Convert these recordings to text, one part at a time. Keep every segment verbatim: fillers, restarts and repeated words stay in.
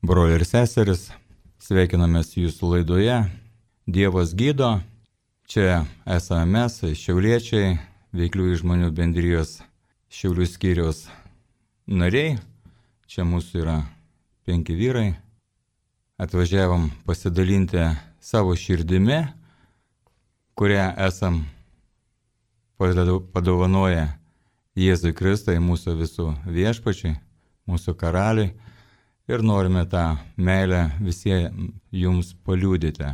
broliai ir seseris, sveikinamės jūsų laidoje Dievas gydo. Čia esame mes, šiauliečiai, veikliųjų žmonių bendrijos Šiaulių skyriaus nariai. Čia mūsų yra penki vyrai. Atvažiavom pasidalinti savo širdimi, kurią esam padovanoję Jėzui Kristui, mūsų visų viešpačiui, mūsų karaliui. Ir norime tą meilę visiems jums paliudyti,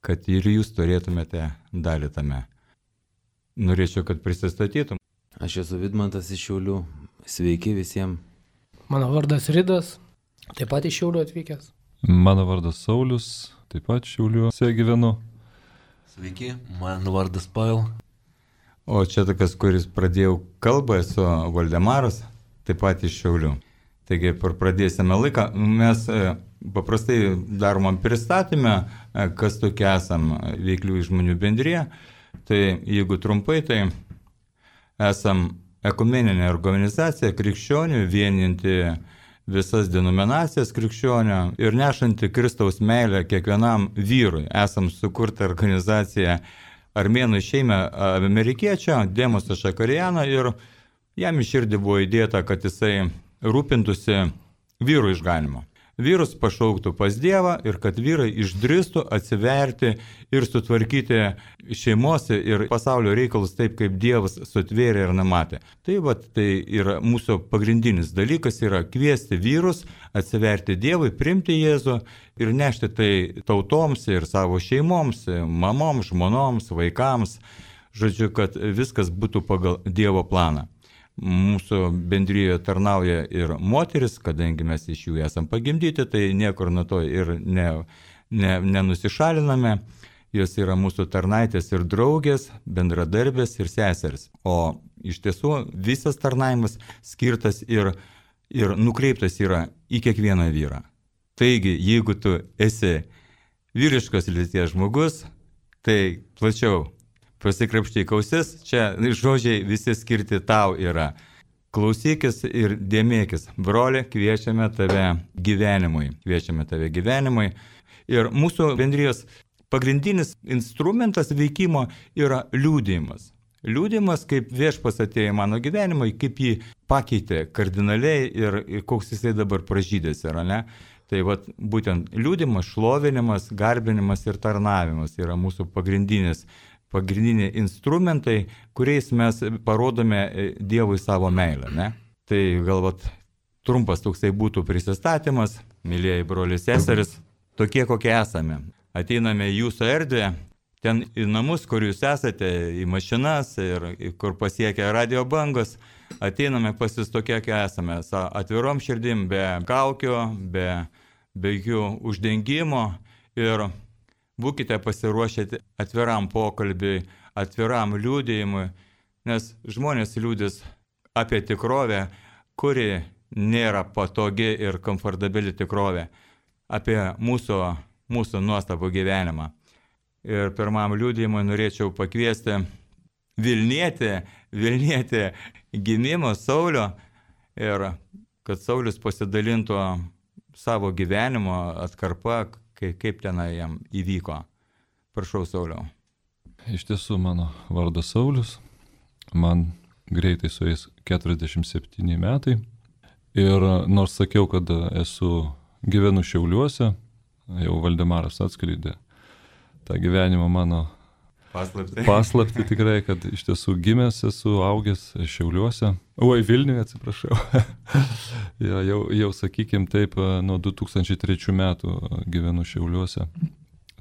kad ir jūs turėtumėte dalį tame. Norėčiau, kad prisistatytum. Aš esu Vidmantas iš Šiaulių. Sveiki visiems. Mano vardas Ridas, taip pat iš Šiaulių atvykęs. Mano vardas Saulius, taip pat Šiauliuose gyvenu. Sveiki, mano vardas Pavel. O čia tokas, kuris pradėjau kalbą, esu Valdemaras, taip pat iš Šiaulių. Taigi, pradėsime laiką. Mes paprastai daromam pristatymę, kas tokie esam veikliųjų žmonių bendrija. Tai jeigu trumpai, tai esam ekumeninė organizacija krikščionių, vieninti visas denominacijas krikščionių ir nešanti Kristaus meilę kiekvienam vyrui. Esam sukurta organizacija armėnų šeimė amerikiečio, Demoso Šakariano, ir jam į širdį buvo įdėta, kad jisai rūpintųsi vyrų išganimo. Vyrus pašauktų pas Dievą ir kad vyrai išdrįstų atsiverti ir sutvarkyti šeimos ir pasaulio reikalus taip, kaip Dievas sutvėrė ir numatė. Tai, va, tai yra mūsų pagrindinis dalykas, yra kviesti vyrus atsiverti Dievui, priimti Jėzų ir nešti tai tautoms ir savo šeimoms, mamoms, žmonoms, vaikams. Žodžiu, kad viskas būtų pagal Dievo planą. Mūsų bendrijoje tarnauja ir moteris, kadangi mes iš jų esam pagimdyti, tai niekur nuo to ir ne, ne, nenusišaliname. Jos yra mūsų tarnaitės ir draugės, bendradarbės ir seseris. O iš tiesų visas tarnaimas skirtas ir, ir nukreiptas yra į kiekvieną vyrą. Taigi, jeigu tu esi vyriškos lyties žmogus, tai plačiau pasikrapštyk ausis, čia žodžiai visi skirti tau yra. Klausykis ir dėmėkis. Broli, kviečiame tave gyvenimui. Kviečiame tave gyvenimui. Ir mūsų bendrijos pagrindinis instrumentas veikimo yra liudijimas. Liudijimas, kaip viešpas atėjo į mano gyvenimą, kaip jį pakeitė kardinaliai ir, ir koks jisai dabar pražydęs yra, ne? Tai vat, būtent liudijimas, šlovinimas, garbinimas ir tarnavimas yra mūsų pagrindinis pagrindiniai instrumentai, kuriais mes parodome Dievui savo meilę. Ne? Tai galbūt trumpas toksai būtų prisistatymas, mylėjai broliai seseris, tokie kokie esame. Ateiname į jūsų erdvę, ten į namus, kur jūs esate, į mašinas ir kur pasiekia radio bangos, ateiname pas jūs tokie, kokie esame, atvirom širdim, be kaukių, be, be jokių uždengimo ir būkite pasiruošę atviram pokalbiui, atviram liudijimui, nes žmonės liudys apie tikrovę, kuri nėra patogi ir komfortabili tikrovė, apie mūsų, mūsų nuostabų gyvenimą. Ir pirmam liudijimui norėčiau pakviesti Vilnietį, Vilnietį gimimo Saulio ir kad Saulius pasidalintų savo gyvenimo atkarpą, kaip tenai jam įvyko. Prašau, Sauliau. Iš tiesų, mano vardas Saulius, man greitai sueis keturiasdešimt septyni metai ir nors sakiau, kad esu gyvenu Šiauliuose, jau Valdemaras atskleidė tą gyvenimą mano paslaptį. Paslaptį tikrai, kad iš tiesų gimęs esu, augęs Šiauliuose. Oi, Vilniuje, atsiprašau. ja, jau, jau sakykim taip, nuo du tūkstančiai trečių metų gyvenu Šiauliuose.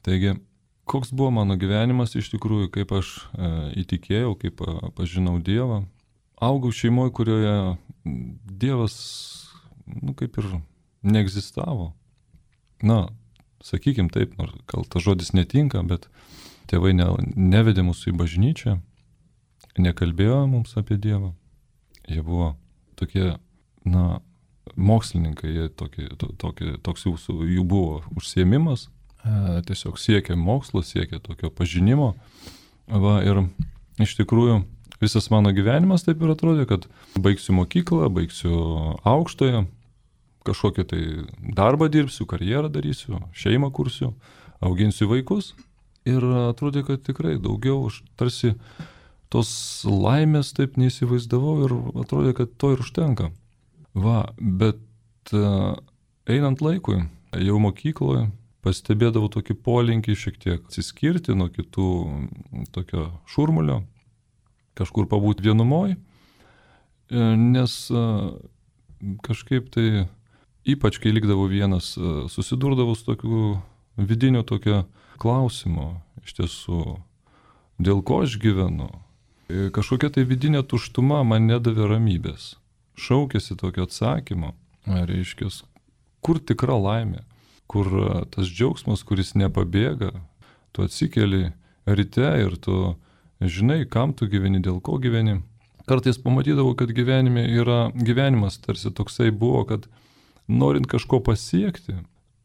Taigi, koks buvo mano gyvenimas iš tikrųjų, kaip aš e, įtikėjau, kaip e, pažinau Dievą. Augau šeimoje, kurioje Dievas, nu, kaip ir neegzistavo. Na, sakykim taip, nors gal tas žodis netinka, bet tėvai ne, nevedė mūsų į bažnyčią, nekalbėjo mums apie Dievą. Jie buvo tokie, na, mokslininkai, jie tokie, to, tokie, toks jų, jų buvo užsiėmimas, e, tiesiog siekė mokslo, siekė tokio pažinimo. Va, ir iš tikrųjų visas mano gyvenimas taip ir atrodė, kad baigsiu mokyklą, baigsiu aukštąją, kažkokį tai darbą dirbsiu, karjerą darysiu, šeimą kursiu, auginsiu vaikus. Ir atrodė, kad tikrai daugiau aš tarsi tos laimės taip neįsivaizdavau ir atrodė, kad to ir užtenka. Va, bet uh, einant laikui, jau mokykloje, pastebėdavau tokį polinkį šiek tiek atsiskirti nuo kitų tokio šurmulio, kažkur pabūti vienumoj, nes uh, kažkaip tai, ypač kai likdavau vienas, uh, susidurdavau su tokiu vidiniu tokio klausimo, iš tiesų, dėl ko aš gyvenu. Kažkokia tai vidinė tuštuma man nedavė ramybės. Šaukėsi tokio atsakymo, reiškia, kur tikra laimė, kur tas džiaugsmas, kuris nepabėga, tu atsikeli ryte ir tu žinai, kam tu gyveni, dėl ko gyveni. Kartais pamatydavau, kad gyvenime yra, gyvenimas tarsi toksai buvo, kad norint kažko pasiekti,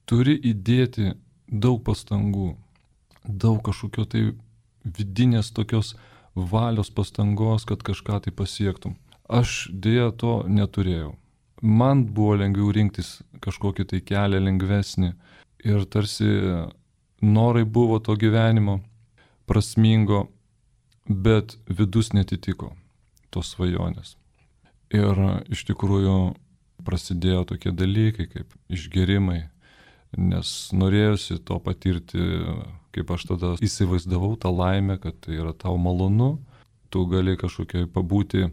turi įdėti daug pastangų, daug kažkokio tai vidinės tokios valios pastangos, kad kažką tai pasiektum. Aš dėja to neturėjau. Man buvo lengviau rinktis kažkokį tai kelią lengvesnį ir tarsi norai buvo to gyvenimo prasmingo, bet vidus netitiko tos svajonės. Ir iš tikrųjų prasidėjo tokie dalykai kaip išgerimai, nes norėjusi to patirti, kaip aš tada įsivaizdavau tą laimę, kad tai yra tau malonu, tu gali kažkokiai pabūti e,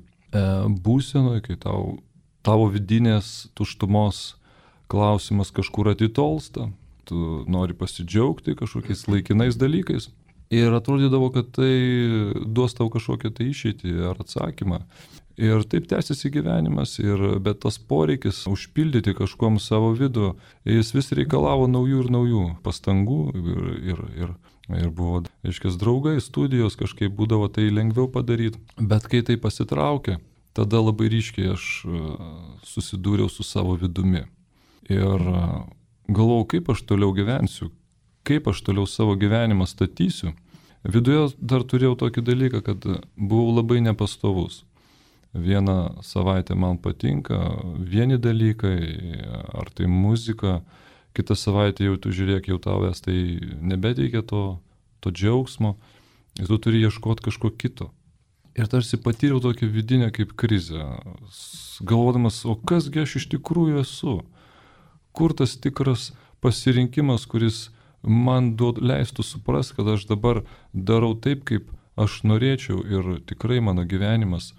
būsenoj, kai tau, tavo vidinės tuštumos klausimas kažkur atitolsta, tu nori pasidžiaugti kažkokiais laikinais dalykais ir atrodydavo, kad tai duos tau kažkokią tai išeitį ar atsakymą. Ir taip tęsiasi gyvenimas, ir, bet tas poreikis užpildyti kažkom savo vidų, jis vis reikalavo naujų ir naujų pastangų ir, ir, ir, ir buvo, aiškiai, draugai, studijos kažkaip būdavo tai lengviau padaryti. Bet kai tai pasitraukė, tada labai ryškiai aš susidūriau su savo vidumi. Ir galvojau, kaip aš toliau gyvensiu, kaip aš toliau savo gyvenimą statysiu. Viduje dar turėjau tokį dalyką, kad buvau labai nepastovus. Vieną savaitę man patinka vieni dalykai, ar tai muzika, kitą savaitę jau tu žiūrėk, jau tavęs tai nebeteikia to, to džiaugsmo, ir tu turi ieškoti kažko kito. Ir tarsi patyriau tokią vidinę kaip krizę, galvodamas, o kasgi aš iš tikrųjų esu, kur tas tikras pasirinkimas, kuris man duod, leistų suprasti, kad aš dabar darau taip, kaip aš norėčiau ir tikrai mano gyvenimas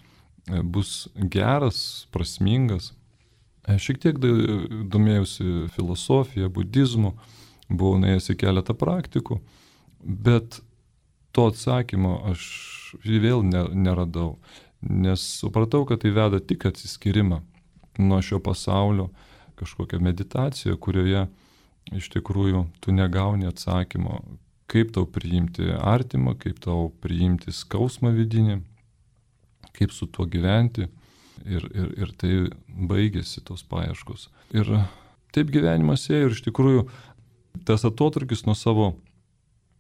bus geras, prasmingas. Šiek tiek domėjausi filosofija, budizmu, buvau nuėjęs į keletą praktikų, bet to atsakymo aš vėl neradau, nes supratau, kad tai veda tik atsiskyrimą nuo šio pasaulio, kažkokią meditaciją, kurioje iš tikrųjų tu negauni atsakymo, kaip tau priimti artimą, kaip tau priimti skausmą vidinį, kaip su tuo gyventi ir, ir, ir tai baigėsi tos paieškos. Ir taip gyvenimas ėjo ir iš tikrųjų tas atotrūkis nuo savo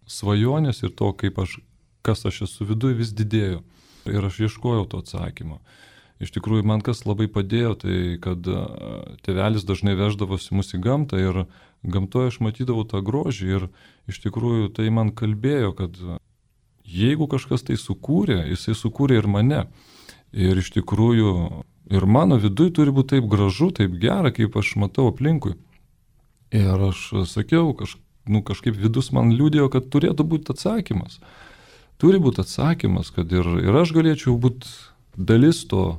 svajonės ir to, kaip aš, kas aš esu viduje, vis didėjo. Ir aš ieškojau to atsakymo. Iš tikrųjų, man kas labai padėjo, tai kad tėvelis dažnai veždavosi mus į gamtą ir gamtoje aš matydavau tą grožį ir iš tikrųjų tai man kalbėjo, kad jeigu kažkas tai sukūrė, jisai sukūrė ir mane. Ir iš tikrųjų, ir mano viduje turi būti taip gražu, taip gera, kaip aš matau aplinkui. Ir aš sakiau, kaž, nu, kažkaip vidus man liūdėjo, kad turėtų būti atsakymas. Turi būti atsakymas, kad ir, ir aš galėčiau būti dalis to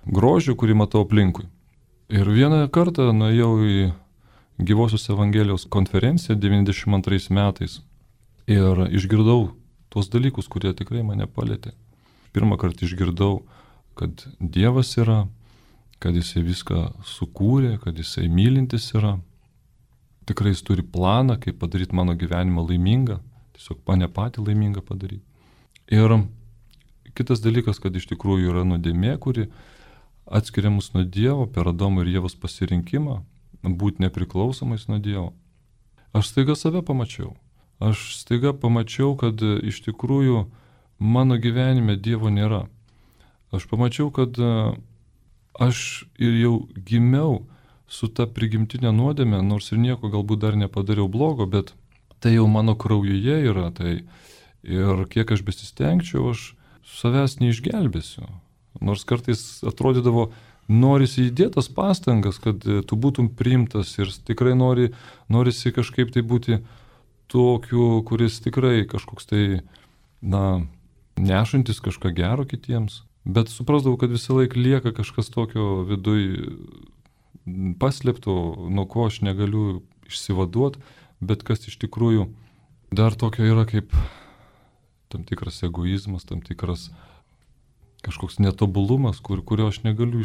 grožio, kurį matau aplinkui. Ir vieną kartą nuėjau į Gyvosios Evangelijos konferenciją devyniasdešimt antrais metais ir išgirdau tuos dalykus, kurie tikrai mane palėtė. Pirmą kartą išgirdau, kad Dievas yra, kad Jisai viską sukūrė, kad Jisai mylintis yra. Tikrai Jis turi planą, kaip padaryti mano gyvenimą laimingą, tiesiog mane patį laimingą padaryti. Ir kitas dalykas, kad iš tikrųjų yra nuodėmė, kuri atskiria mus nuo Dievo per Adomo ir Ievos pasirinkimą, būti nepriklausomais nuo Dievo. Aš staiga save pamačiau. Aš staiga pamačiau, kad iš tikrųjų mano gyvenime Dievo nėra. Aš pamačiau, kad aš ir jau gimiau su ta prigimtinė nuodėmė, nors ir nieko galbūt dar nepadariau blogo, bet tai jau mano kraujuje yra, tai ir kiek aš besistengčiau, aš savęs neišgelbėsiu. Nors kartais atrodydavo, norisi įdėtas pastangas, kad tu būtum priimtas ir tikrai nori, norisi kažkaip tai būti tokiu, kuris tikrai kažkoks tai, na, nešantis kažką gero kitiems. Bet suprasdavau, kad visą laiką lieka kažkas tokio viduj paslėpto, nuo ko aš negaliu išsivaduoti, bet kas iš tikrųjų dar tokio yra kaip tam tikras egoizmas, tam tikras kažkoks netobulumas, kur, kurio aš negaliu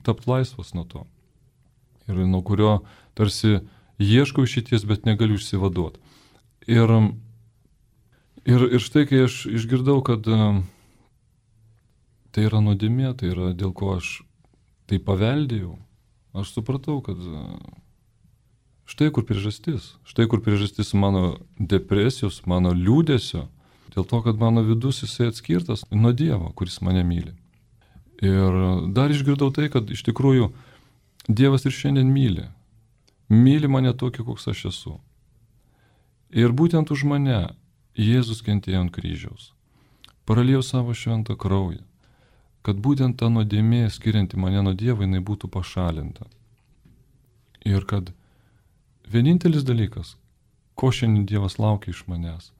tapti laisvas nuo to. Ir nuo kurio tarsi ieškau išeities, bet negaliu išsivaduoti. Ir, ir, ir štai, kai aš išgirdau, kad tai yra nuodėmė, tai yra dėl ko aš tai paveldėjau, aš supratau, kad štai kur priežastis. Štai kur priežastis mano depresijos, mano liūdesio. Dėl to, kad mano vidus jisai atskirtas nuo Dievo, kuris mane myli. Ir dar išgirdau tai, kad iš tikrųjų Dievas ir šiandien myli. Myli mane tokį, koks aš esu. Ir būtent už mane Jėzus kentėjo ant kryžiaus. Praliejo savo šventą kraują. Kad būtent ta nuodėmė, skirianti mane nuo Dievo, jinai būtų pašalinta. Ir kad vienintelis dalykas, ko šiandien Dievas laukia iš manęs,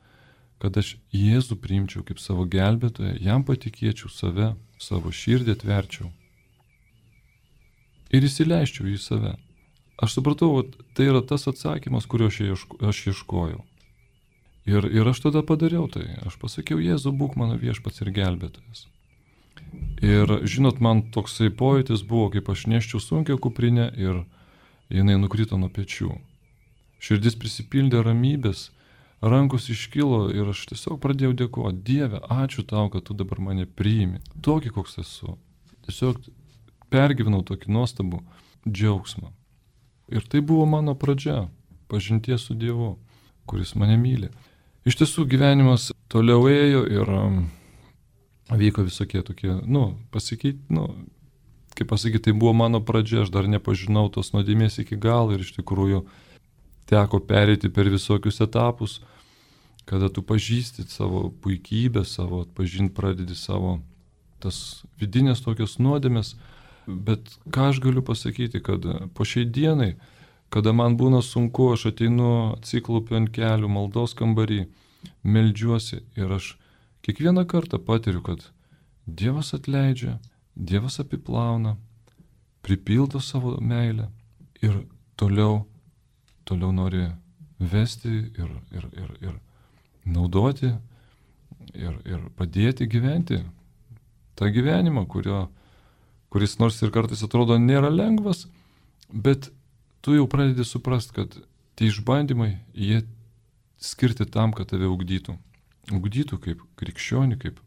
kad aš Jėzų priimčiau kaip savo gelbėtoją, jam patikėčiau save, savo širdį atverčiau ir įsileiščiau į save. Aš supratau, kad tai yra tas atsakymas, kurio aš, ieško, aš ieškojau. Ir, ir aš tada padariau tai. Aš pasakiau, Jėzau, būk mano viešpats ir gelbėtojas. Ir žinot, man toksai pojūtis buvo, kaip aš neščiau sunkią kuprinę ir jinai nukrito nuo pečių. Širdis prisipildė ramybės, rankos iškilo ir aš tiesiog pradėjau dėkoti. Dieve, ačiū tau, kad tu dabar mane priimi. Tokį, koks esu. Tiesiog pergyvenau tokį nuostabų džiaugsmą. Ir tai buvo mano pradžia, pažinties su Dievu, kuris mane myli. Iš tiesų gyvenimas toliau ėjo ir um, vyko visokie tokie, nu, pasikeiti, nu, kaip pasakyti, tai buvo mano pradžia, aš dar nepažinau tos nuodėmės iki galo ir iš tikrųjų teko pereiti per visokius etapus, kada tu pažįsti savo puikybę, savo atpažinti pradedi savo tas vidinės tokios nuodėmės. Bet ką aš galiu pasakyti, kad po šiai dienai, kada man būna sunku, aš ateinu, atsiklaupiu ant kelių, maldos kambarį, meldžiuosi ir aš kiekvieną kartą patiriu, kad Dievas atleidžia, Dievas apiplauna, pripildo savo meilę ir toliau toliau nori vesti ir, ir, ir, ir naudoti ir, ir padėti gyventi tą gyvenimą, kurio, kuris nors ir kartais atrodo nėra lengvas, bet tu jau pradedi suprasti, kad tie išbandymai, jie skirti tam, kad tave ugdytų. Ugdytų kaip krikščionį, kaip,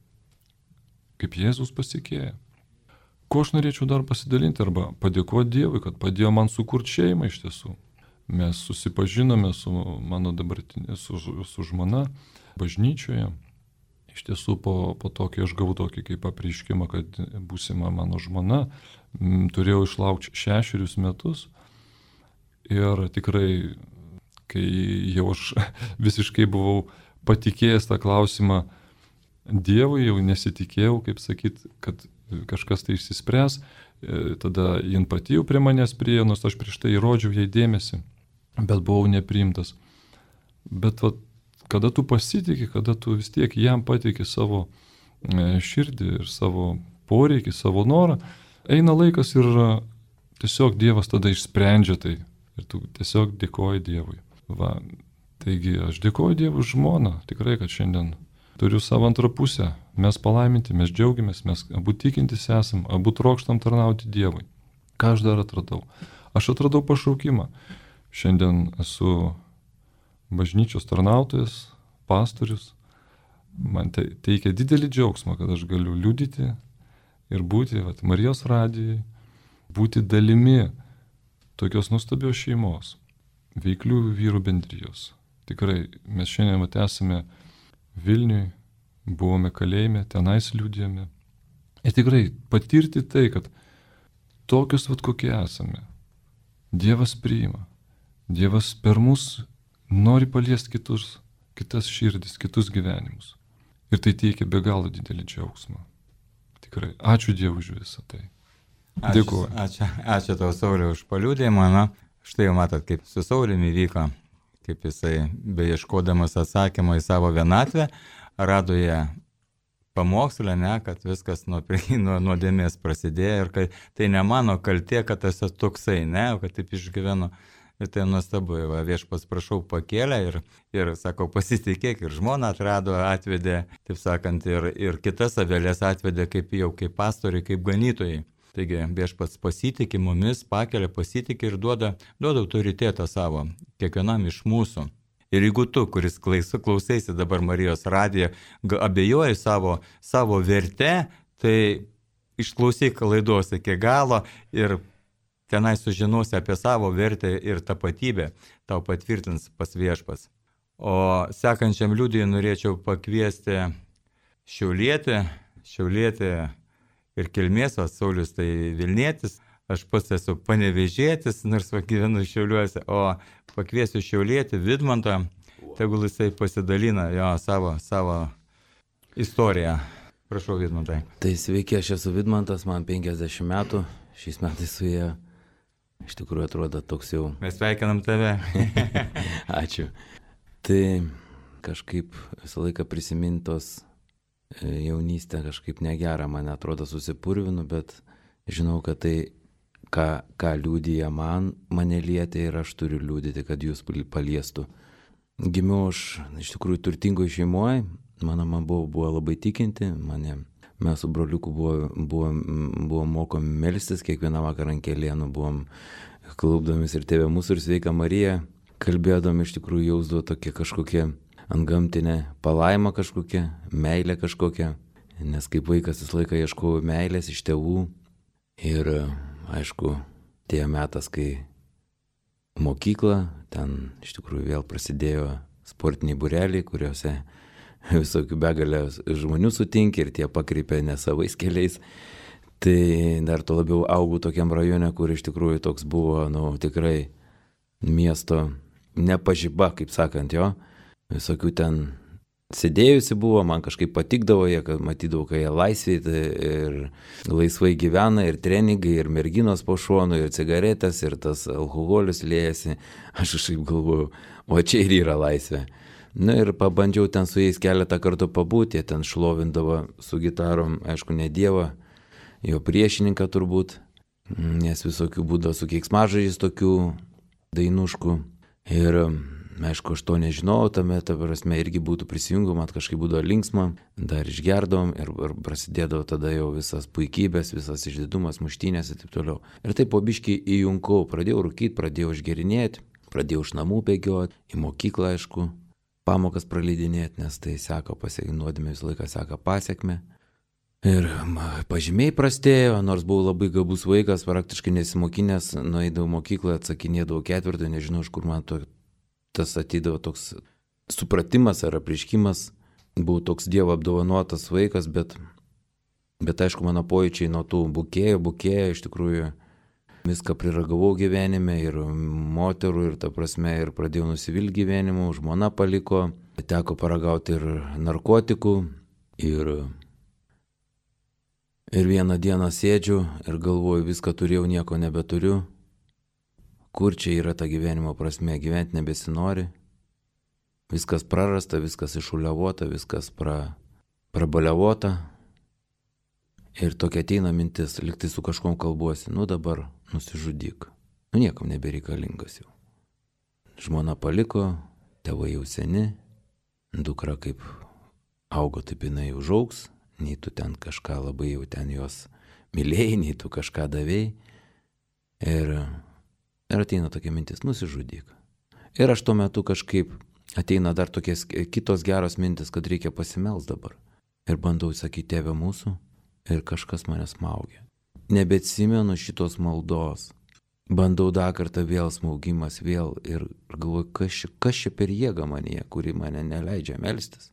kaip Jėzus pasikėja. Ko aš norėčiau dar pasidalinti arba padėkoti Dievui, kad padėjo man sukurti šeimą iš tiesų. Mes susipažinome su mano dabartinė, su, su žmona bažnyčioje. Iš tiesų po, po to, kai aš gavau tokį kaip apreiškimą, kad būsima mano žmona, m, turėjau išlaukti šešerius metus. Ir tikrai, kai jau aš visiškai buvau patikėjęs tą klausimą Dievui, jau nesitikėjau, kaip sakyt, kad kažkas tai išsispręs. Tada jin pati jau prie manęs priėjo, nors aš prieš tai įrodžiau jai dėmesį, bet buvau nepriimtas. Bet vat, kada tu pasitikė, kada tu vis tiek jam pateiki savo širdį ir savo poreikį, savo norą, eina laikas ir tiesiog Dievas tada išsprendžia tai. Ir tu tiesiog dėkoji Dievui. Va, taigi aš dėkoju Dievui už žmoną, tikrai, kad šiandien turiu savo antrą pusę. Mes palaiminti, mes džiaugiamės, mes abu tikintis esam, abu trokštam tarnauti Dievui. Ką aš dar atradau? Aš atradau pašaukimą. Šiandien esu bažnyčios tarnautojas, pastorius. Man te, teikia didelį džiaugsmą, kad aš galiu liudyti ir būti vat, Marijos radijai, būti dalimi tokios nuostabios šeimos, veiklių vyrų bendrijos. Tikrai, mes šiandien vat, esame Vilniui, buvome kalėjime, tenais liudijame. Ir tikrai patirti tai, kad tokius vat kokie esame, Dievas priima. Dievas per mus nori paliesti kitus, kitas širdis, kitus gyvenimus. Ir tai teikia be galo didelį džiaugsmą. Tikrai, ačiū Dievui už visą tai. Dėkuoju. Ačiū, ačiū, ačiū tau, Sauliau, už paliudėjimą. Na, štai jau matot, kaip su Sauliumi vyko, kaip jisai, beieškodamas atsakymą į savo vienatvę, rado ją pamokslę, ne, kad viskas nuo, nuo nuodėmės prasidėjo ir kad tai ne mano kaltė, kad esu toksai, ne, kad taip išgyvenu. Ir tai nuostabu, va, viešpats prašau pakėlė ir, ir sako, pasitikėk, ir žmoną atrado, atvedė, taip sakant, ir, ir kitas avelės atvedė kaip jau kaip pastoriai, kaip ganytojai. Taigi viešpats pasitikė mumis, pakelia, pasitikė ir duoda, duoda autoritetą savo kiekvienam iš mūsų. Ir jeigu tu, kuris klausaisi dabar Marijos radiją, abejoji savo, savo verte, tai išklausyk laidos iki galo ir tenai sužinosi apie savo vertę ir tapatybę, tau patvirtins pas viešpas. O sekančiam liudijui norėčiau pakviesti šiaulietį, šiaulietį ir kilmės, o Saulius tai Vilnietis, aš pats esu panevėžietis, nors gyvenu Šiauliuose, o pakviesiu šiaulietį Vidmantą, tegul jisai pasidalina jo savo, savo istoriją. Prašau, Vidmantai. Tai sveiki, aš esu Vidmantas, man penkiasdešimt metų, šiais metais suėjo. Iš tikrųjų atrodo toks jau... Mes sveikinam tave. Ačiū. Tai kažkaip visą laiką prisimintos jaunystę kažkaip negera, man atrodo susipurvinu, bet žinau, kad tai, ką, ką liudija man, mane lietė ir aš turiu liudyti, kad jūs paliestų. Gimiau aš iš tikrųjų turtingoje šeimoje, mano mama buvo, buvo labai tikinti, mane... Mes su broliuku buvom, buvom, buvom mokomi melstis, kiekvieną vakarą ant kelienų buvom klaupdomis ir Tėve mūsų ir Sveika Marija, kalbėdom iš tikrųjų jausdavo tokia kažkokia antgamtinė palaima kažkokia, meilė kažkokia, nes kaip vaikas visą laiką ieškojau meilės iš tėvų ir aišku, tie metas, kai mokykla, ten iš tikrųjų vėl prasidėjo sportiniai būreliai, kuriuose visokių begalę žmonių sutinki ir tie pakreipia ne savais keliais. Tai dar to labiau augau tokiam rajone, kur iš tikrųjų toks buvo, nu, tikrai miesto nepažyba, kaip sakant, jo. Visokių ten sėdėjusi buvo, man kažkaip patikdavo jie, kad matydavau, kai jie laisviai tai ir laisvai gyvena, ir treningai, ir merginos po šonu, ir cigaretės, ir tas alkoholis liejasi. Aš kažkaip galvoju, o čia ir yra laisvė. Na ir pabandžiau ten su jais keletą kartų pabūti, jie ten šlovindavo su gitarom, aišku, ne Dievą, jo priešininką turbūt, nes visokių būdavo su keiksmažodžiais tokių dainuškų. Ir aišku, aš to nežinau, tame, ta prasme, irgi būtų prisijungų, man kažkaip būdavo linksma, dar išgerdom ir, ir prasidėdavo tada jau visas puikybės, visas išdidumas, muštynės ir taip toliau. Ir taip po biškį įjunkau, pradėjau rūkyti, pradėjau išgerinėti, pradėjau iš namų bėgioti, į mokyklą, aišku. Pamokas praleidinėti, nes tai seka pasiekmė, nuodėmė visą laiką seka pasiekmė. Ir pažymiai prastėjo, nors buvau labai gabus vaikas, praktiškai nesimokinęs, nueidavau mokyklą, atsakinėdavau ketvirtą, nežinau, iš kur man to, tas atydavo toks supratimas ar apriškimas. Buvau toks Dievo apdovanotas vaikas, bet, bet aišku, mano pojūčiai nuo tų bukėjo, bukėjo, iš tikrųjų viską priragavau gyvenime ir moterų ir ta prasme ir pradėjau nusivilti gyvenimu, žmona paliko, teko paragauti ir narkotikų ir, ir vieną dieną sėdžiu ir galvoju, viską turėjau, nieko nebeturiu, kur čia yra ta gyvenimo prasme, gyventi nebesinori, viskas prarasta, viskas išuliavota, viskas pra, prabaliavota. Ir tokia ateina mintis, liktai su kažkom kalbuosi, nu dabar nusižudyk, nu niekam nebereikalingas jau. Žmona paliko, tėvai jau seni, dukra kaip augo, taip jinai užaugs, nei tu ten kažką labai jau ten jos mylėjai, nei tu kažką davėjai. Ir, ir ateina tokia mintis, nusižudyk. Ir aš tuo metu kažkaip ateina dar tokios kitos geros mintis, kad reikia pasimels dabar. Ir bandau sakyti, Tėve mūsų. Ir kažkas mane smaugia. Nebeatsimenu šitos maldos. Bandau dar kartą vėl smaugimas, vėl ir galvoju, kas čia, kas čia per jėgą manyje, kuri mane neleidžia melstis.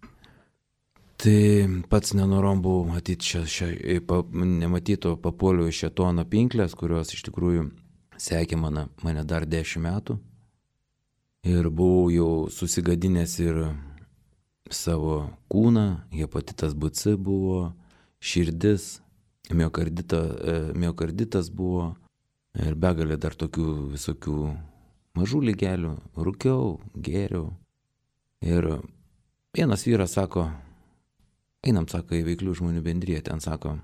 Tai pats nenorom buvau matyti, šia, šia, pa, nematyto papuoliau iš šėtono pinklės, kurios iš tikrųjų sekė mane, mane dar dešimt metų. Ir buvau jau susigadinęs ir savo kūną, hepatitas B C buvo, širdis, miokardita, miokarditas buvo ir begalė dar tokių visokių mažų lygelių. Rūkiau, gėriau. Ir vienas vyras sako, einam, sako, į veiklių žmonių bendriją, ten sako,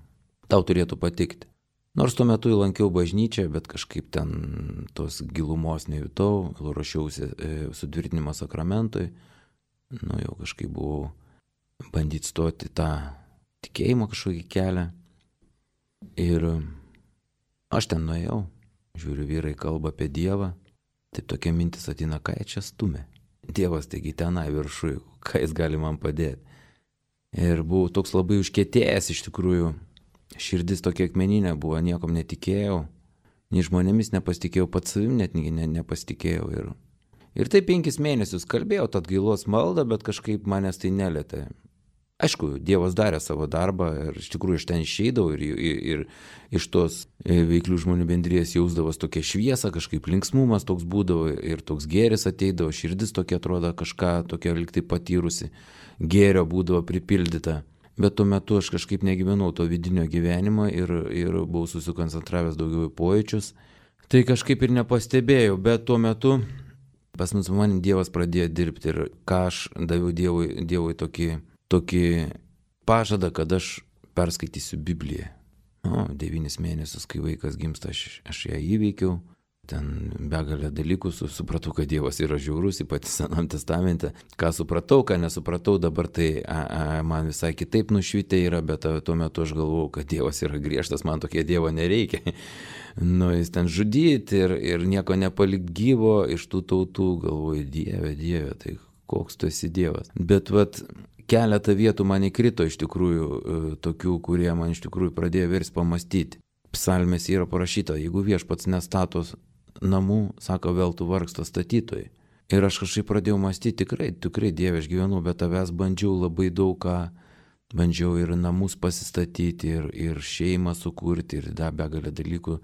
tau turėtų patikti. Nors tuo metu lankiau bažnyčią, bet kažkaip ten tos gilumos nejutau, ruošiausi sutvirtinimo sakramentui, nu jau kažkaip buvau bandyti stoti tą tikėjimo kažkokį kelią. Ir aš ten nuėjau, žiūriu, vyrai kalba apie Dievą, taip tokia mintis ateina, ką jie čia stumia. Dievas taigi tenai viršui, ką jis gali man padėti. Ir buvau toks labai užkietėjęs iš tikrųjų. Širdis tokia akmeninė buvo, niekom netikėjau, nei žmonėmis nepasitikėjau, pats savim net ne, nepasitikėjau. Ir, ir tai penkis mėnesius kalbėjau tą atgailos maldą, bet kažkaip manęs tai nelietė. Aišku, Dievas darė savo darbą ir iš tikrųjų iš ten išeidavau ir, ir, ir iš tos veiklių žmonių bendrijos jausdavos tokia šviesa, kažkaip linksmumas toks būdavo ir toks gėris ateidavo, širdis tokia atrodo kažką tokia liktai patyrusi, gėrio būdavo pripildyta. Bet tuo metu aš kažkaip negyvenau to vidinio gyvenimo ir, ir buvau susikoncentravęs daugiau į pojūčius. Tai kažkaip ir nepastebėjau, bet tuo metu pas mus manim Dievas pradėjo dirbti ir ką aš daviau Dievui, Dievui tokį, tokį pažadą, kad aš perskaitysiu Bibliją. O, devynis mėnesius, kai vaikas gimsta, aš, aš ją įveikiau. Ten begalę dalykų supratau, kad Dievas yra žiaurus, ypač Senam testamente. Ką supratau, ką nesupratau, dabar tai a, a, man visai kitaip nušvitė yra, bet a, tuo metu aš galvojau, kad Dievas yra griežtas, man tokie Dievo nereikia. Nu, jis ten žudyti ir, ir nieko nepalikt gyvo iš tų tautų, galvoju, Dieve, Dieve, tai koks tu esi Dievas. Bet vat keletą vietų man įkrito iš tikrųjų tokių, kurie man iš tikrųjų pradėjo vers pamastyti. Psalmės yra parašyta, jeigu viešpats nestatos namų, sako, vėl tu vargsta statytojai. Ir aš kažkaip pradėjau mąstyti, tikrai, tikrai Dieve, aš gyvenu, bet tavęs bandžiau labai daug ką, bandžiau ir namus pasistatyti, ir, ir šeimą sukurti, ir da begalę dalykų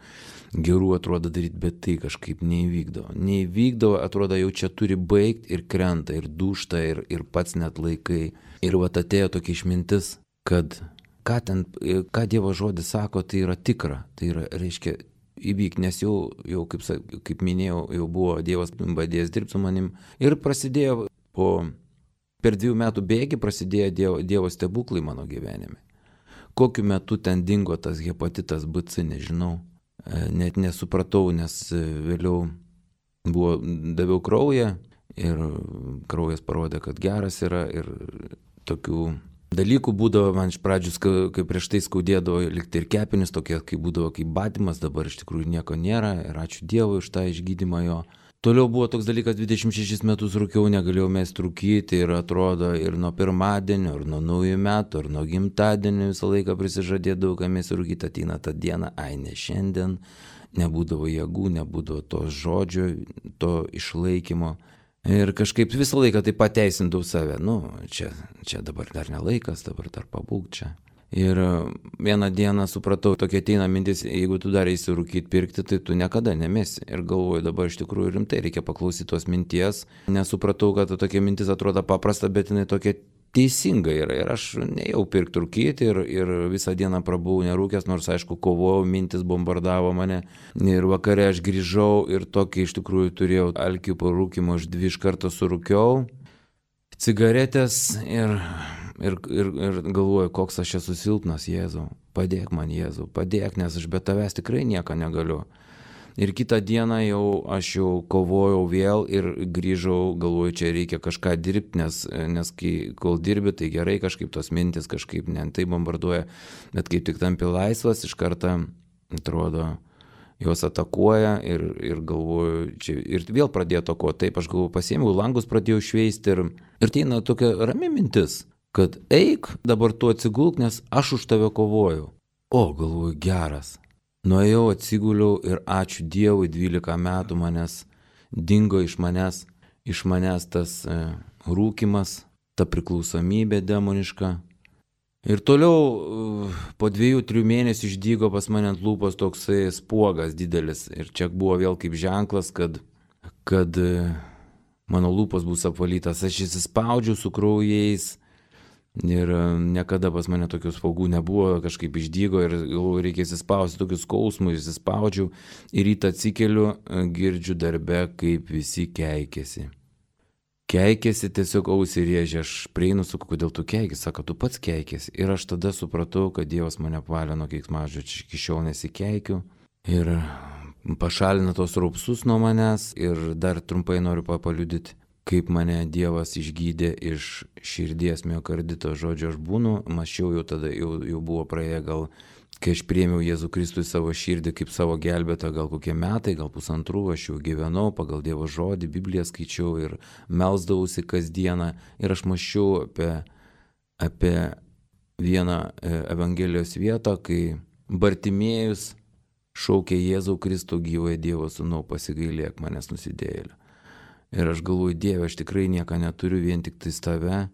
gerų atrodo daryti, bet tai kažkaip neįvykdavo. Neįvykdavo, atrodo, jau čia turi baigti ir krenta, ir dūšta, ir, ir pats net laikai. Ir vat atėjo tokia išmintis, kad ką ten, ką Dievo žodis sako, tai yra tikra, tai yra, reiškia, įvyk, nes jau, jau kaip, kaip minėjau, jau buvo Dievas badėjęs dirbti su manim. Ir prasidėjo, po, per dviejų metų bėgį prasidėjo Dievo, Dievo stebuklai mano gyvenime. Kokiu metu ten dingo tas hepatitas B C, nežinau, net nesupratau, nes vėliau buvo, daviau kraują ir kraujas parodė, kad geras yra ir tokių dalykų būdavo, man iš pradžių, kai prieš tai skaudėdavo likti ir kepenis, tokie, kai būdavo kaip badymas, dabar iš tikrųjų nieko nėra ir ačiū Dievui už tą išgydymą jo. Toliau buvo toks dalykas, dvidešimt šešis metus rūkiau, negalėjau mesti rūkyti ir atrodo ir nuo pirmadienio, ir nuo naujų metų, ir nuo gimtadienio visą laiką prisižadėdavau, kad mesti rūkyti, ateina tą dieną, ai ne šiandien, nebūdavo jėgų, nebūdavo to žodžio, to išlaikymo. Ir kažkaip visą laiką tai pateisindavau save, nu, čia, čia dabar dar ne laikas, dabar dar pabūk čia. Ir vieną dieną supratau, tokia ateina mintis, jeigu tu dar eisi rūkyti pirkti, tai tu niekada nemesi. Ir galvoju, dabar iš tikrųjų rimtai reikia paklausyti tos minties, nesupratau, kad tokia mintis atrodo paprasta, bet jinai tokia teisinga yra. Ir aš nejau pirkti rūkyti ir, ir visą dieną prabuvau nerūkęs, nors aišku kovojau, mintis bombardavo mane. Ir vakare aš grįžau ir tokį iš tikrųjų turėjau alkį po rūkymo, aš dvi iš karto surūkiau cigaretės ir, ir, ir, ir galvoju, koks aš esu silpnas, Jėzau, padėk man, Jėzau, padėk, nes aš be tavęs tikrai nieko negaliu. Ir kitą dieną jau aš jau kovojau vėl ir grįžau, galvoju, čia reikia kažką dirbti, nes, nes kai, kol dirbi, tai gerai kažkaip tos mintis kažkaip ne tai bombarduoja, bet kaip tik tampi laisvas, iš karto atrodo, jos atakuoja ir, ir galvoju, čia, ir vėl pradėjo atakuoti, taip aš galvoju, pasiėmiau langus, pradėjau šveisti ir, ir tai na, tokia rami mintis, kad eik, dabar tu atsigulk, nes aš už tave kovoju. O, galvoju, geras. Nuėjau, atsiguliau ir ačiū Dievui, dvylika metų manęs dingo iš manęs, iš manęs tas e, rūkimas, ta priklausomybė demoniška. Ir toliau po dviejų, trijų mėnesių išdygo pas mane ant lūpos toksai spuogas didelis. Ir čia buvo vėl kaip ženklas, kad, kad mano lūpos bus apvalytas. Aš įsispaudžiau su kraujais ir niekada pas mane tokių spuogų nebuvo, kažkaip išdygo ir reikia įsispausti tokius skausmus, įsispaudžiau ir rytą atsikeliu, girdžiu darbe, kaip visi keikėsi. Keikėsi, tiesiog ausį rėžė, aš prieinu, sakau, kodėl tu keikėsi, sako, tu pats keikėsi. Ir aš tada supratau, kad Dievas mane apvalė nuo keiksmažodžių, aš iki šiol nesikeikiu. Ir pašalina tos raupsus nuo manęs ir dar trumpai noriu paliudyti, kaip mane Dievas išgydė iš širdies miokardito. Žodžiu, aš būnu, mačiau jau tada, jau, jau buvo praėję gal, kai aš priėmiau Jėzų Kristų į savo širdį kaip savo gelbėtą, gal kokie metai, gal pusantrų, aš jau gyvenau pagal Dievo žodį, Bibliją skaičiau ir melsdavausi kasdieną. Ir aš mąsčiau apie, apie vieną Evangelijos vietą, kai Bartimėjus šaukė Jėzau Kristų, gyvąjį Dievo sūnau, pasigailėk manęs nusidėjėlio. Ir aš galvoju, Dieve, aš tikrai nieko neturiu, vien tik tais tave.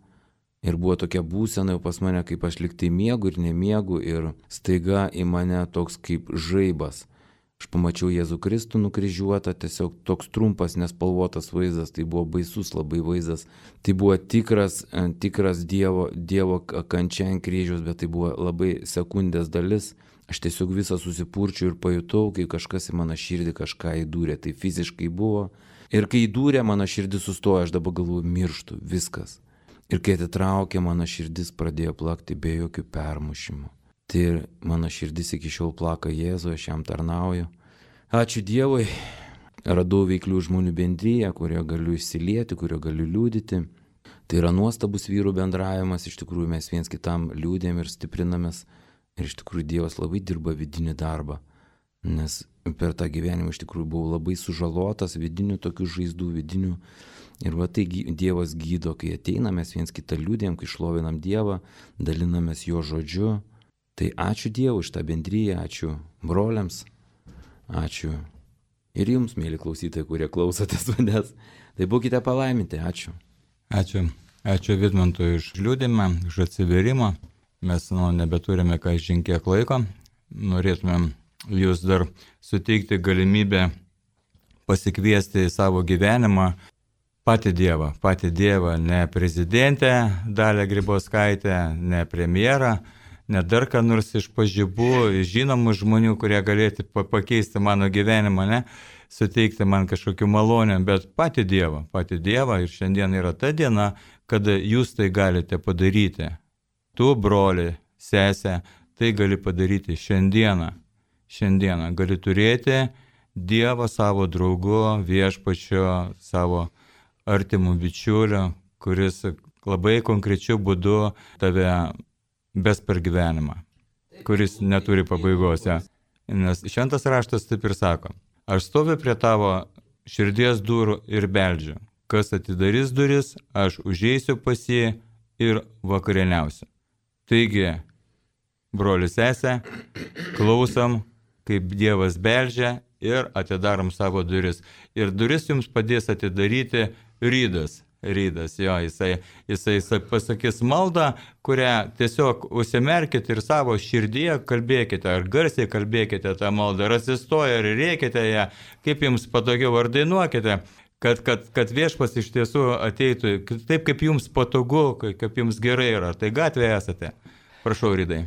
Ir buvo tokia būsena jau pas mane, kaip aš liktai miegu ir nemiegu, ir staiga į mane toks kaip žaibas. Aš pamačiau Jėzų Kristų nukryžiuotą, tiesiog toks trumpas, nespalvotas vaizdas, tai buvo baisus labai vaizdas. Tai buvo tikras, tikras Dievo, dievo kančia ant kryžiaus, bet tai buvo labai sekundės dalis. Aš tiesiog visą susipurčiau ir pajutau, kai kažkas į mano širdį kažką įdūrė. Tai fiziškai buvo. Ir kai įdūrė, mano širdis sustojo, aš dabar galvoju, mirštu, viskas. Ir kai atitraukė, mano širdis pradėjo plakti be jokių permušimų. Tai mano širdis iki šiol plaka Jėzų, aš jam tarnauju. Ačiū Dievui, radau veiklių žmonių bendryje, kurio galiu išsilieti, kurio galiu liūdyti. Tai yra nuostabus vyrų bendravimas, iš tikrųjų mes viens kitam liūdėm ir stiprinamės. Ir iš tikrųjų Dievas labai dirba vidinį darbą, nes per tą gyvenimą iš tikrųjų buvau labai sužalotas vidinių tokių žaizdų, vidinių. Ir va tai Dievas gydo, kai ateiname, mes viens kitą liūdėm, kai šlovinam Dievą, dalinamės jo žodžiu. Tai ačiū Dievui už tą bendryją, ačiū broliams, ačiū ir jums, mėly klausytojai, kurie klausotės manęs. Tai būkite palaiminti, ačiū. Ačiū. Ačiū Vidmantui už liūdimą, už atsiverimą. Mes nu, nebeturime ką žinkiek laiko. Norėtumėm jūs dar suteikti galimybę pasikviesti į savo gyvenimą patį Dievą, patį Dievą, ne prezidentę Dalią Grybauskaitę, ne premjerą, ne dar ką nors iš pažibų, žinomų žmonių, kurie galėtų pakeisti mano gyvenimą, ne, suteikti man kažkokių malonių, bet patį Dievą, patį Dievą. Ir šiandien yra ta diena, kada jūs tai galite padaryti. Tu, broli, sesė, tai gali padaryti šiandieną. Šiandieną gali turėti Dievą savo draugu, viešpačio, savo artimų bičiulių, kuris labai konkrečiu būdu tave bes per gyvenimą, kuris neturi pabaigos. Ja. Nes šventas raštas taip ir sako, aš stoviu prie tavo širdies durų ir beldžiu. Kas atidarys duris, aš užeisiu pas jį ir vakarieniausiu. Taigi, broli sesė, klausom, kaip Dievas beldžia ir atidarom savo duris. Ir duris jums padės atidaryti Rydas, Rydas, jo, jisai, jisai, jisai pasakys maldą, kurią tiesiog užsimerkite ir savo širdyje kalbėkite, ar garsiai kalbėkite tą maldą, ar atsistoja, ar rėkite ją, kaip jums patogiau, ar dainuokite, kad, kad, kad viešpas iš tiesų ateitų taip, kaip jums patogu, kaip jums gerai yra. Tai gatvėje esate. Prašau, Rydai.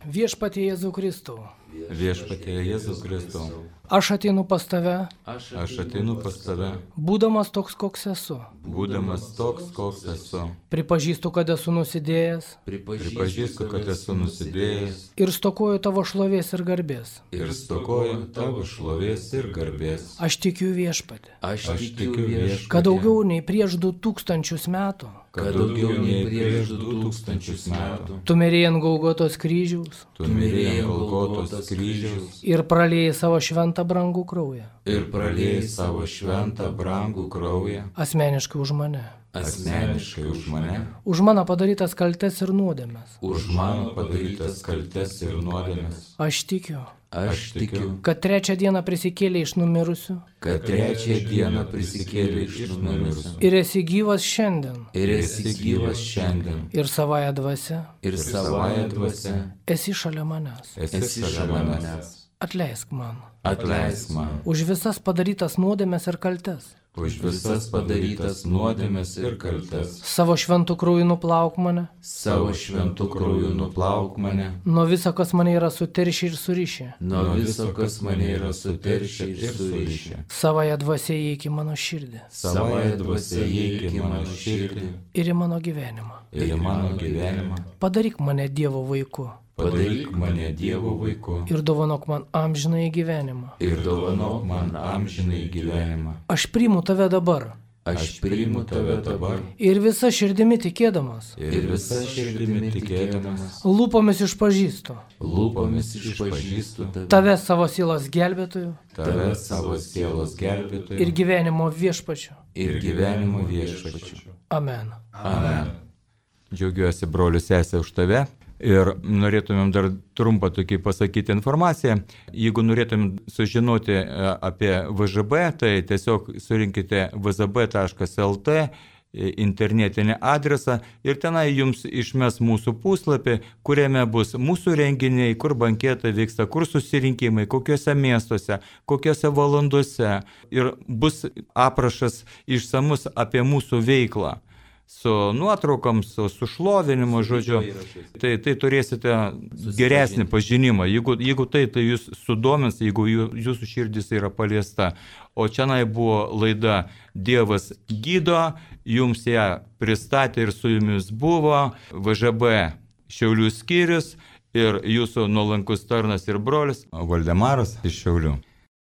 Viešpatie Jėzau Kristau. Viešpatie Jėzus Kristau. Aš ateinu pas tave. Aš ateinu pas tave. Būdamas toks, koks esu. Būdamas toks, koks esu. Pripažįstu, kad esu nusidėjęs. Pripažįstu, kad esu nusidėjęs. Ir stokoju tavo šlovės ir garbės. Ir stokoju tavo šlovės ir garbės. Aš tikiu viešpatį. Aš, Aš tikiu viešpatį. Kad daugiau nei prieš du tūkstančius metų. Kad daugiau nei prieš du tūkstančius metų. Tu mirėjai ant Golgotos kryžiaus. Tu mirėjai ant Golgotos kryžiaus. Ir praliejai savo šventą brangų kraują. Ir praliejai savo šventą brangų kraują. Asmeniškai už mane. Asmeniškai už mane. Už mano padarytas kaltes ir nuodėmes. Už mano padarytas kaltes ir nuodėmes. Aš tikiu. Aš tikiu, kad trečią dieną prisikėlė iš numirusių kad trečią dieną prisikėlė iš numirusių ir esi gyvas šiandien ir esi gyvas šiandien ir savąją dvasią ir savąją dvasią esi šalia manęs. esi šalia manęs. Atleisk man Atleisk man už visas padarytas nuodėmes ir kaltes. už visas padarytas nuodėmes ir kaltes. Savo šventų krauju nuplauk mane Savo šventų krauju nuplauk mane nuo viso, kas mane yra suteršę ir surišę. nuo viso, kas mane yra suteršę ir surišę. Savąją dvasią įeik į mano širdį Savąją dvasią įeik į mano širdį ir į mano gyvenimą. ir į mano gyvenimą. Padaryk mane Dievo vaiku Padaryk mane Dievo vaiku ir dovanok man amžinąjį gyvenimą. ir dovanok man amžinai gyvenimą. Aš priimu tave dabar Aš priimu tave dabar ir visa širdimi tikėdamas, ir visa širdimi tikėdamas, lūpomis išpažįstu lūpomis išpažįstu tave, tave savo sielos gelbėtoju tave savo sielos gelbėtoju ir gyvenimo viešpačiu. ir gyvenimo viešpačiu. Amen. Amen. Džiaugiuosi, broliu, sesė, už tave. Ir norėtumėm dar trumpą tokį pasakyti informaciją. Jeigu norėtumėm sužinoti e, apie V Ž B, tai tiesiog surinkite v z b taškas l t e, internetinį adresą ir tenai jums išmes mūsų puslapį, kuriame bus mūsų renginiai, kur banketai vyksta, kur susirinkimai, kokiuose miestuose, kokiuose valandose. Ir bus aprašas išsamus apie mūsų veiklą. Su nuotraukom, su, su šlovinimu, žodžiu, tai, tai turėsite geresnį pažinimą. Jeigu, jeigu tai, tai jūs sudomins, jeigu jų, jūsų širdis yra paliesta. O čianai buvo laida Dievas gydo, jums ją pristatė ir su jumis buvo V Ž B Šiaulių skyrius ir jūsų nuolankus tarnas ir brolis Valdemaras iš Šiaulių.